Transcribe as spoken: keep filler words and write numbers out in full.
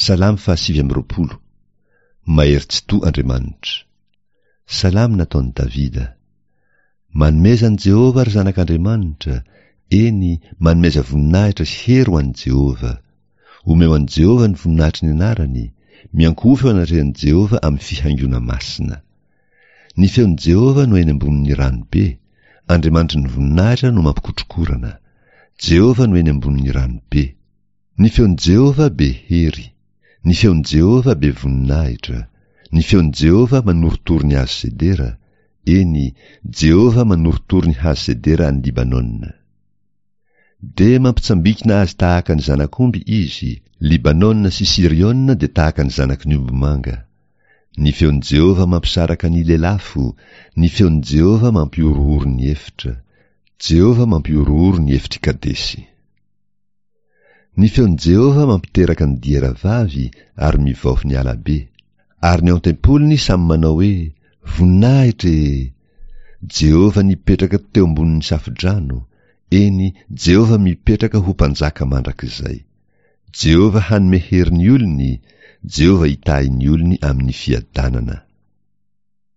Salamo fahasivy amby roapolo. Mahery Tsitoha Andriamanitra. Salamo nataon'i Davida. Manomeza an'i Jehovah, ry zanak'Andriamanitra, eny, manomeza voninahitra sy hery ho an'i Jehovah. Omeo an'i Jehovah ny voninahitry ny anarany, miankohofa eo anatrehan'i Jehovah amin'ny fihaingoana masina. Ny feon'i Jehovah no eny ambonin'ny rano be, Andriamanitry ny voninahitra no mampikotrokorana. Jehovah no eny ambonin'ny rano be. Ny feon'i Jehovah be hery. Ny feon'i Jehovah be voninahitra. Ny feon'i Jehovah manorotoro ny hazo sedera. Eny, Jehovah manorotoro ny hazo sedera any Libanona. Dia mampitsambikina azy tahaka ny zanak'omby izy, Libanona sy Siriona dia tahaka ny zanaky ny ombimanga. Ny feon'i Jehovah mampisaraka ny lelafo, ny feon'i Jehovah mampihorohoro ny efitra. Jehovah mampihorohoro ny efitr'i Kadesy. Ny feon'i Jehovah mampiteraka ny diera vavy ary mivaofy ny alabe. Ary ny ao an-tempoliny samy manao hoe, Voninahitra e! Jehovah nipetraka teo ambonin'ny safodrano, eny, Jehovah mipetraka ho mpanjaka mandrakizay. Jehovah hanome hery ny olony, Jehovah hitahy ny olony amin'ny fiadanana.